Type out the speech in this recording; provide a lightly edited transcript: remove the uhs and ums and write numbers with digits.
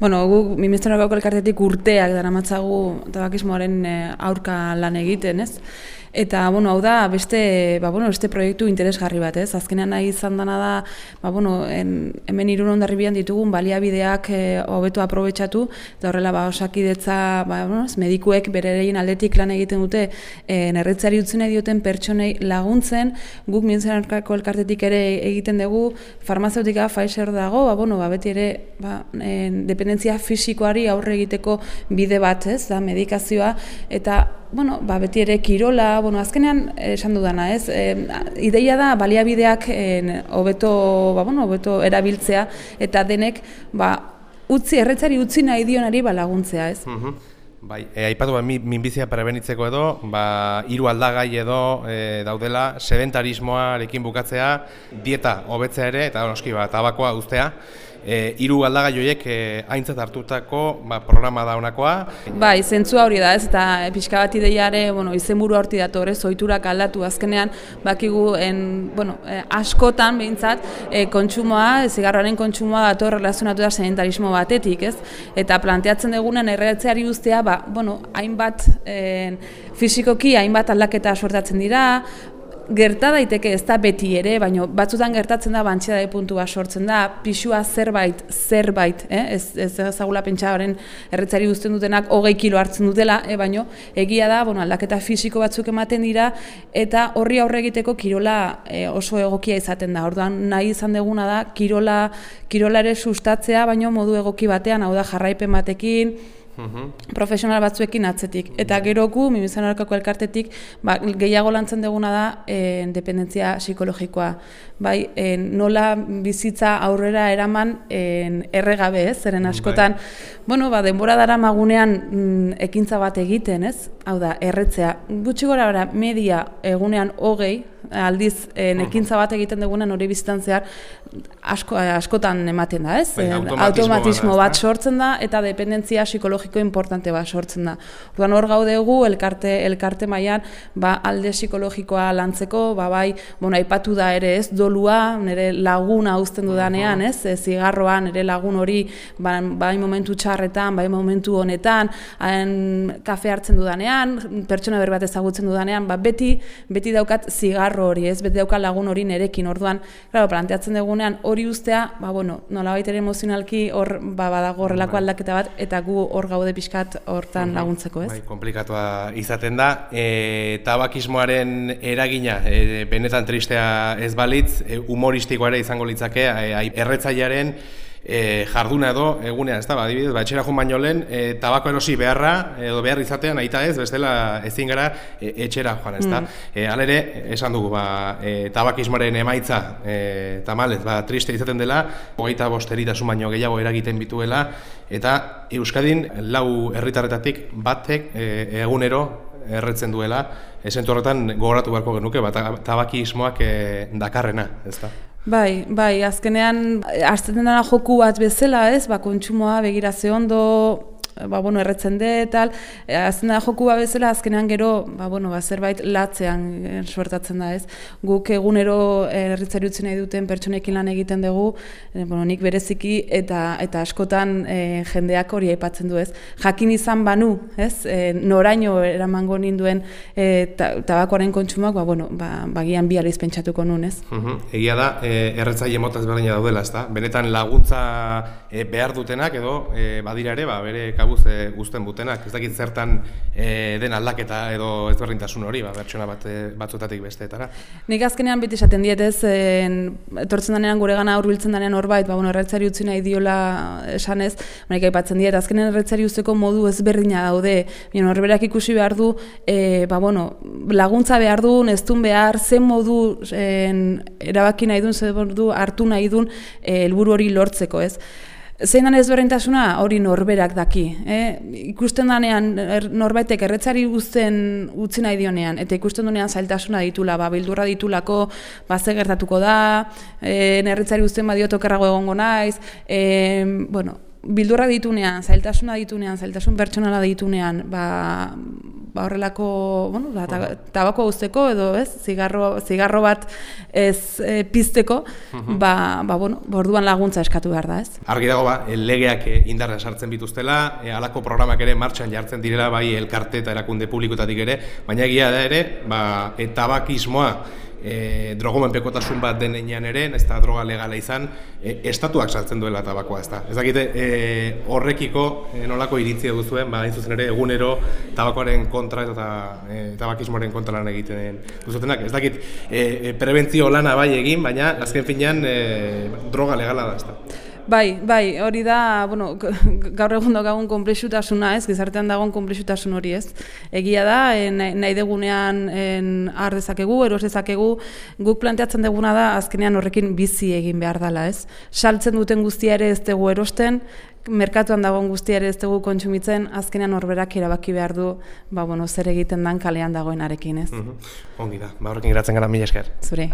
Bueno, guk Ministerioko elkartetik urteak daramatzagu tabakismoaren aurka lan egiten, ez? Eta, bueno, hau da beste proiektu interesgarri bat, ez? Azkenean nahi izan dana da, hemen Irun Hondarribian ditugun baliabideak hobeto aprobetxatu, eta horrela Osakidetza, medikuek bererein aldetik lan egiten dute, erretzeari utzi nahi dioten pertsonei laguntzen, guk Ministerioko elkartetik ere egiten dugu, farmazeutika Pfizer dago, beti ere dependentzia fisikoari aurre egiteko bide bat, ez? Da medikazioa, eta beti ere kirola, azkenean esan dudana, ez? Ideia da baliabideak hobeto erabiltzea eta denek erretzari utzi nahi dionari laguntzea, ez? Bai, aipatu minbizia prebenitzeko edo, 3 aldagai edo daudela, sedentarismoarekin bukatzea, dieta hobetzea ere, eta noski tabakoa uztea. 3 aldagai horiek aintzat hartutako programa da honakoa. Bai, zentzua hori da, ez, eta pixka bat ideiare, izenburu horti dator, ez, ohiturak aldatu azkenean, bakigu, askotan behintzat, kontsumoa, zigarroaren kontsumoa dator relazionatu da sedentarismo batetik, ez, eta planteatzen dugunen erretzeari uztea, hainbat fisikoki, hainbat aldaketa sortatzen dira, gerta daiteke ez da beti ere, baina batzutan gertatzen da bantxedae puntua sortzen da, pixua zerbait, ez ezagula pentsaren erretzari uzten dutenak 20 kilo hartzen dutela, baina egia da, aldaketa fisiko batzuk ematen dira, eta horri aurre egiteko kirola oso egokia izaten da. Orduan nahi izan deguna da, kirola ere sustatzea, baina modu egoki batean, hau da jarraipen batekin, profesional batzuekin atzetik. Eta geroku, Ministerioko elkartetik, gehiago lantzen duguna da dependentzia psikologikoa. Nola bizitza aurrera eraman erregabe, ez? Zeren askotan, denbora dara magunean ekintza bat egiten, ez? Hau da, erretzea. Gutxi gora media egunean 20, aldiz ekintza bat egiten dugunen hori bizitan zehar askotan ematen da, ez? Automatismo bat sortzen da eta dependentzia psikologiko importante bat sortzen da. Orduan hor gaudegu elkarte mailan alde psikologikoa lantzeko, aipatu da ere, ez, dolua, nire laguna uzten dudanean, ez? Zigarroan nire lagun hori bai momentu txarretan, bai momentu honetan, kafe hartzen dudanean, pertsona berri bat ezagutzen dudanean, beti daukat zigarro hori, ez, beti daukat lagun hori nerekin. Orduan, planteatzen dugunean hori uztea, nolabait ere emozionalki hor badago horrelako aldaketa bat, eta gu hor gaude pixkat hortan laguntzeko, ez? Komplikatua izaten da. Tabakismoaren eragina, benetan tristea ez balitz, humoristikoa ere izango litzake, erretzailearen jarduna edo egunean, ez da, adibidez, etxera joan baino lehen, tabako erosi beharra, edo behar izatean, aita ez, bestela ezin gara etxera joan, ez da. Halere, esan dugu, tabakismoaren emaitza, tamalez, triste izaten dela, 25 eritasun baino gehiago eragiten bituela, eta Euskadin 4 herritarretatik batek egunero erretzen duela, esentu horretan gogoratu beharko genuke, tabakismoak dakarrena, ez da. Bai, azkenean hartzen dena joku bat bezala, ez, kontsumoa begira ze ondo, erretzen de, tal, azten da joku bat bezala, azkenean gero, zerbait latzean suertatzen da, ez. Guk egunero erretzari utzi nahi duten pertsonekin lan egiten dugu, nik bereziki, eta askotan jendeak hori aipatzen du, ez. Jakin izan banu, ez, noraino eramango ninduen tabakoaren kontsumoak, bagian bi aldiz pentsatuko nun, ez. Egia da, erretzaile mota ezberdina daudela, ez da. Benetan laguntza behar dutenak edo badira ere, bere kabuz guztuen butenak. Ez dakit zertan den aldaketa edo ezberdintasun hori, pertsona batzutatik besteetara. Nik azkenean beti esaten diet, ez, etortzen denean gure gana hurbiltzen denean horbait, erretzari utzi nahi diola esanez, nik aipatzen diet, azkenean erretzari uzteko modu ezberdina daude, horberak ikusi behar du, laguntza behar du, ez duen behar, zen modu erabaki nahi duen, zen modu hartu nahi duen helburu hori lortzeko, ez. Zein den ezberdintasuna hori norberak daki. Ikusten denean norbaitek erretzari utzi nahi dionean, eta ikusten duenean zailtasuna ditula, bildurra ditulako, ze gertatuko da, erretzari uzten badiot okerrago egongo naiz, bildurra ditunean, zailtasuna ditunean, zailtasun pertsonala ditunean, horrelako, bueno, tabako uzteko edo, ez, zigarro bat ez pizteko, bueno, orduan laguntza eskatu behar da, ez. Argi dago, legeak indarrean sartzen bituztela, halako programak ere martxan jartzen direla, bai elkarte eta erakunde publikotatik ere, baina egia da ere, tabakismoa drogomenpekotasun bat denean ere, ez da droga legala izan, estatuak sartzen duela tabakoa, ez da. Ez dakite horrekiko nolako iritzia duzuen, hain zuzen ere egunero tabakoaren kontra eta tabakismoaren kontra lan egiten duzutenak. Ez dakit prebentzio lana bai egin, baina azken finean droga legala da, ez da. Bai, hori da, bueno, gaur egun daukagun konplexutasuna, ez, gizartean dagoen konplexutasun hori, ez. Egia da, nahi degunean har dezakegu, eros dezakegu, guk planteatzen deguna da, azkenean horrekin bizi egin behar dela, ez. Saltzen duten guztia ere ez dugu erosten, merkatuan dagoen guztia ere ez dugu kontsumitzen, azkenean horberak erabaki behar du, zer egiten dan kalean dagoenarekin, ez. Ongi da, horrekin geratzen gara, mila esker. Zure.